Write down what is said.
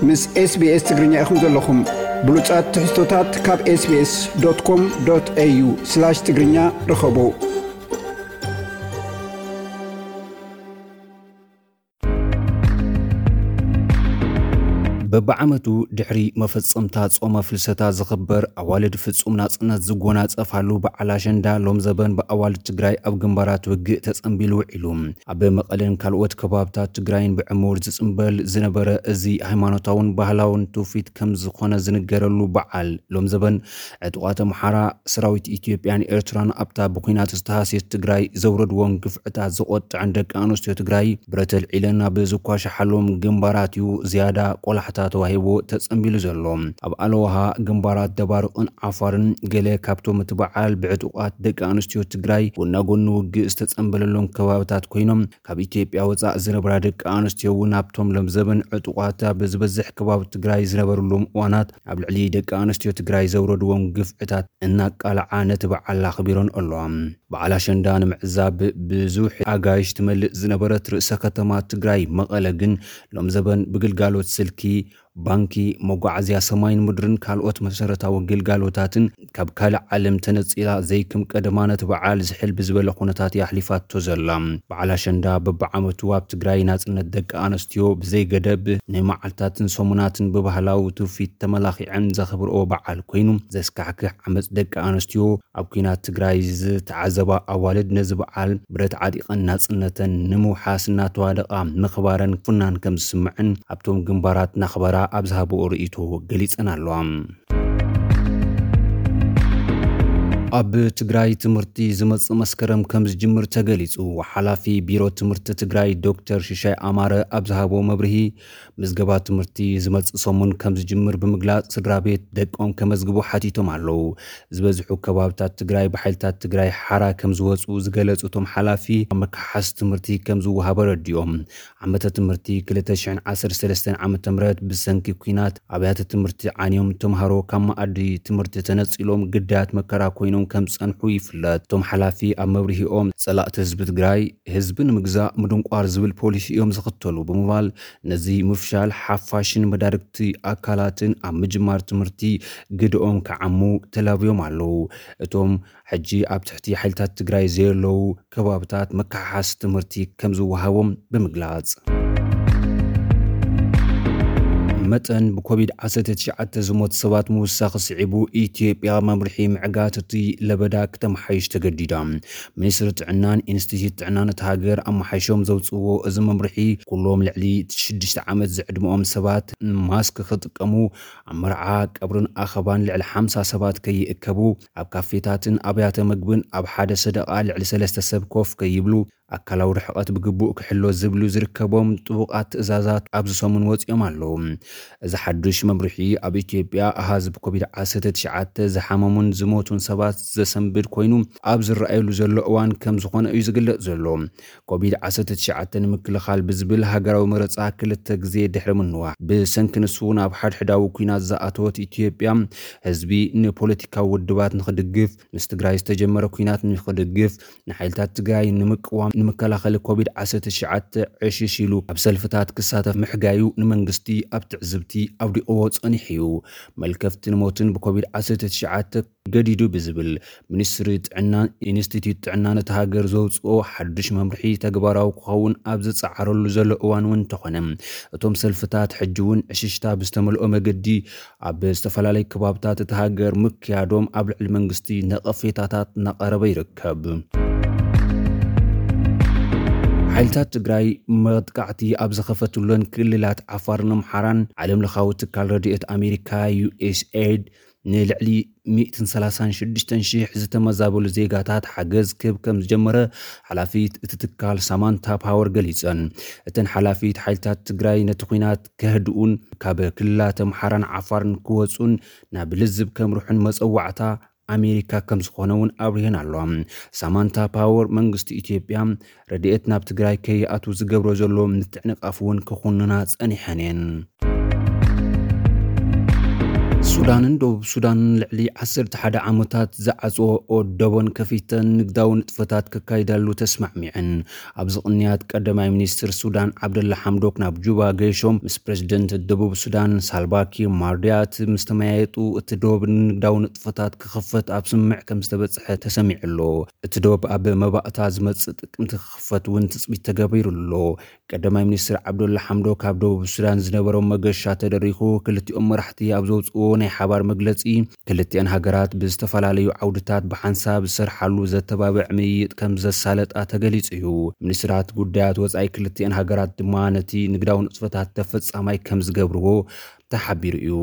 ምስ SBS ትግርኛ ኢኹም ዘለኹም። ብሉጻት ትሕዝቶታት ካብ SBS.com.au/ትግርኛ ርኸቡ። በብዓመቱ ድሕሪ መፈጸምታ ጾመ ፍልሰታ ዝኽበር፣ ኣዋልድ ፍጹም ናጽነት ዝጎናጸፋሉ በዓል ኣሸንዳ፣ ሎም ዘበን ብኣዋልድ ትግራይ ኣብ ግንባራት ውግእ ተጸንቢሉ ውዒሉ። ኣብ መቐለን ካልኦት ከባብታት ትግራይን ብዕሙር ዝጽንበል ዝነበረ እዚ ሃይማኖታውን ባህላውን ትውፊት ከም ዝኾነ ዝንገረሉ በዓል፣ ሎም ዘበን ዕጡቓት ኣምሓራ፣ ሰራዊት ኢትዮጵያን ኤርትራን ኣብታ ብኲናት ዝተሃስየት ትግራይ ዘውረድዎም ግፍዕታት ዘቖጥዐን ደቂ ኣንስትዮ ትግራይ ብረት ኣልዒለን ኣብ ዝኳሸሓሎም ግንባራት እዩ ዝያዳ ቆላሕታ ተዋሂቦ ተጸንቢሉ ዘሎ። ኣብ ኣለዋሃ ግንባራት ደባርቕን ዓፋርን ገለ ካብቶም እቲ በዓል ብዕጡቓት ደቂ ኣንስትዮ ትግራይ ጎና ጎኒ ውግእ ዝተጸንበለሎም ከባብታት ኮይኖም፣ ካብ ኢትዮጵያ ወጻእ ዝነብራ ደቂ ኣንስትዮ እውን ኣብቶም ሎም ዘበን ዕጡቓት ኣብ ዝበዝሕ ከባቢ ትግራይ ዝነበሩሎም እዋናት ኣብ ልዕሊ ደቂ ኣንስትዮ ትግራይ ዘውረድዎም ግፍዕታት እናቃልዓ ነቲ በዓል ኣኽቢሮን ኣለዋ። በዓል ኣሸንዳ ንምዕዛብ ብዙሕ ኣጋይሽ ትመልእ ዝነበረት ርእሰ ከተማ ትግራይ መቐለ ግን ሎም ዘበን ብግልጋሎት ስልኪ፣ ባንኪ፣ መጓዓዝያ ሰማይን ምድርን ካልኦት መሰረታዊ ግልጋሎታትን ካብ ካልእ ዓለም ተነጺላ ዘይክም ቀደማ ነቲ በዓል ዝሕል ብዝበለ ኩነታት እያ ኣሕሊፋቶ ዘላ። በዓል ኣሸንዳ በብዓመቱ ኣብ ትግራይ ናጽነት ደቂ ኣንስትዮ ብዘይገደብ ናይ መዓልታትን ሰሙናትን ብባህላዊ ትውፊት ተመላኺዐን ዘኽብርኦ በዓል ኮይኑ፣ ዘስካሕክሕ ዓመጽ ደቂ ኣንስትዮ ኣብ ኲናት ትግራይ ዝተዓዘባ ኣዋልድ ነዚ በዓል ብረት ዓጢቐን ናጽነተን ንምውሓስ እናተዋደቓ ምኽባረን ፍናን ከም ዝስምዐን ኣብቶም ግንባራት ናኽበራ ኣብ ዝሃብኦ ርእይቶ ገሊጸን ኣለዋ። ኣብ ትግራይ ትምህርቲ ዝመጽእ መስከረም ከም ዝጅምር ተገሊጹ። ሓላፊ ቢሮ ትምህርቲ ትግራይ ዶክተር ሽሻይ ኣማረ ኣብ ዝሃቦ መብርሂ፣ ምዝገባ ትምህርቲ ዝመጽእ ሰሙን ከም ዝጅምር ብምግላጽ፣ ስድራ ቤት ደቆም ከመዝግቡ ሓቲቶም ኣለዉ። ዝበዝሑ ከባብታት ትግራይ ብሓይልታት ትግራይ ሓራ ከም ዝወጹ ዝገለጹ እቶም ሓላፊ፣ ኣብ መከሓስ ትምህርቲ ከም ዝወሃብ ኣረዲኦም። ዓመተ ትምህርቲ ክልተ ሽሕን ዓሰርተ ሰለስተን ዓመተ ምህረት ብሰንኪ ኲናት ኣብያተ ትምህርቲ ዓንዮም፣ ተምሃሮ ካብ መኣዲ ትምህርቲ ተነጺሎም ግዳያት መከራ ኮይኖም ከም ዝጸንሑ ይፍለጥ። እቶም ሓላፊ ኣብ መብርሂኦም፣ ጸላእቲ ህዝቢ ትግራይ ህዝቢ ንምግዛእ ምድንቋር ዝብል ፖሊሲ እዮም ዝኽተሉ ብምባል፣ ነዚ ምፍሻል ሓፋሽን መዳርግቲ ኣካላትን ኣብ ምጅማር ትምህርቲ ግደኦም ክዓሙ ተላብዮም ኣለዉ። እቶም ሕጂ ኣብ ትሕቲ ሓይልታት ትግራይ ዘየለዉ ከባብታት መከሓሓሲ ትምህርቲ ከም ዝወሃቦም ብምግላጽ፣ መጠን ብኮቪድ ዓሰርተ ትሽዓተ ዝሞት ሰባት ምውሳኽ ስዒቡ፣ ኢትዮጵያ መምርሒ ምዕጋት እቲ ለበዳ ክተመሓይሽ ተገዲዳ። ሚኒስትሪ ጥዕናን ኢንስቲትዩት ጥዕናን እታ ሃገር ኣመሓይሾም ዘውፅዎ እዚ መምርሒ፣ ኩሎም ልዕሊ ሽዱሽተ ዓመት ዝዕድመኦም ሰባት ማስክ ክጥቀሙ፣ ኣብ መርዓ፣ ቀብርን ኣኸባን ልዕሊ ሓምሳ ሰባት ከይእከቡ፣ ኣብ ካፌታትን ኣብያተ ምግብን ኣብ ሓደ ሰደቓ ልዕሊ ሰለስተ ሰብ ኮፍ ከይብሉ፣ ኣካላዊ ርሕቐት ብግቡእ ክሕሎ ዝብሉ ዝርከቦም ጥቡቓት ትእዛዛት ኣብዚ ሰሙን ወፂኦም ኣለዉ። እዚ ሓዱሽ መምርሒ ኣብ ኢትዮጵያ ኣሃዝ ብኮቪድ ዓሰርተ ትሽዓተ ዝሓመሙን ዝሞቱን ሰባት ዘሰንብድ ኮይኑ ኣብ ዝረኣየሉ ዘሎ እዋን ከም ዝኾነ እዩ ዝግለጽ ዘሎ። ኮቪድ ዓሰርተ ትሽዓተ ንምክልኻል ብዝብል ሃገራዊ መረጻ ክልተ ግዜ ድሕሪ ምንዋሕ፣ ብሰንኪ ንሱ ናብ ሓድሕዳዊ ኲናት ዝኣተወት ኢትዮጵያ፣ ህዝቢ ንፖለቲካዊ ውድባት ንኽድግፍ፣ ምስ ትግራይ ዝተጀመረ ኲናት ንኽድግፍ፣ ንሓይልታት ትግራይ ንምቅዋም ንመከላኸሊ ኮቪድ ዓሰርተ ትሽዓተ ዕሽሽ ኢሉ ኣብ ሰልፍታት ክሳተፍ ምሕጋዩ ንመንግስቲ ኣብ ትዕዝብቲ ኣውዲቕዎ ጸኒሑ እዩ። መልከፍቲ ንሞትን ብኮቪድ ዓሰርተ ትሽዓተ ገዲዱ ብዝብል ሚኒስትሪ ጥዕናን ኢንስቲትዩት ጥዕናን እታ ሃገር ዘውፅኦ ሓዱሽ መምርሒ ተግባራዊ ክኸውን ኣብ ዝፀዓረሉ ዘሎ እዋን እውን እንተኾነ፣ እቶም ሰልፍታት ሕጂ እውን ዕሽሽታ ብዝተመልኦ መገዲ ኣብ ዝተፈላለዩ ከባብታት እታ ሃገር ምክያዶም ኣብ ልዕሊ መንግስቲ ነቐፌታታት እናቐረበ ይርከብ። ሓይልታት ትግራይ መጥቃዕቲ ኣብ ዝኸፈትለን ክልላት ዓፋርን ኣምሓራን፣ ዓለም ለኻዊ ትካል ረድኤት ኣሜሪካ ዩኤስኤድ ንልዕሊ ሚእትን ሰላሳን ሽዱሽተን ሽሕ ዝተመዛበሉ ዜጋታት ሓገዝ ክህብ ከም ዝጀመረ ሓላፊት እቲ ትካል ሳማንታ ፓወር ገሊጸን። እተን ሓላፊት፣ ሓይልታት ትግራይ ነቲ ኲናት ከህድኡን ካብ ክልላት ኣምሓራን ዓፋርን ክወጹን ናብ ልዝብ ከምርሑን መጸዋዕታ ኣሜሪካ ከም ዝኾነ እውን ኣብሪሀን ኣለዋ። ሳማንታ ፓወር፣ መንግስቲ ኢትዮጵያ ረድኤት ናብ ትግራይ ከይኣቱ ዝገብሮ ዘሎ ምትዕንቃፍ እውን ክኹንና ጸኒሐን እየን። ሱዳንን ደቡብ ሱዳንን ልዕሊ ዓሰርተ ሓደ ዓመታት ዝዓጽዎ ደቦን ከፊተን ንግዳዊ ንጥፈታት ከካይዳሉ ተስማዕሚዐን። ኣብዚ ቅንያት ቀዳማይ ሚኒስትር ሱዳን ዓብደላ ሓምዶክ ናብ ጁባ ገይሾም ምስ ፕሬዝደንት ደቡብ ሱዳን ሳልቫኪር ማርዲያት ምስ ተመያየጡ፣ እቲ ዶብ ንንግዳዊ ንጥፈታት ክኽፈት ኣብ ስምምዕ ከም ዝተበጽሐ ተሰሚዑ ኣሎ። እቲ ዶብ ኣብ መባእታ ዝመጽእ ጥቅምቲ ክኽፈት እውን ትጽቢት ተገቢሩ ኣሎ። ቀዳማይ ሚኒስትር ዓብደላ ሓምዶክ ካብ ደቡብ ሱዳን ዝነበሮም መገሻ ተደሪኹ፣ ክልቲኦም መራሕቲ ኣብ ዘውፅዎ ናይ ሓባር መግለፂ፣ ክልቲኣን ሃገራት ብዝተፈላለዩ ዓውድታት ብሓንሳብ ዝሰርሓሉ ዘተባብዕ ምይይጥ ከም ዘሳለጣ ተገሊጹ እዩ። ሚኒስትራት ጉዳያት ወጻኢ ክልቲኣን ሃገራት ድማ ነቲ ንግዳዊ ንጥፈታት ተፈጻማይ ከም ዝገብርዎ ተሓቢሩ እዩ።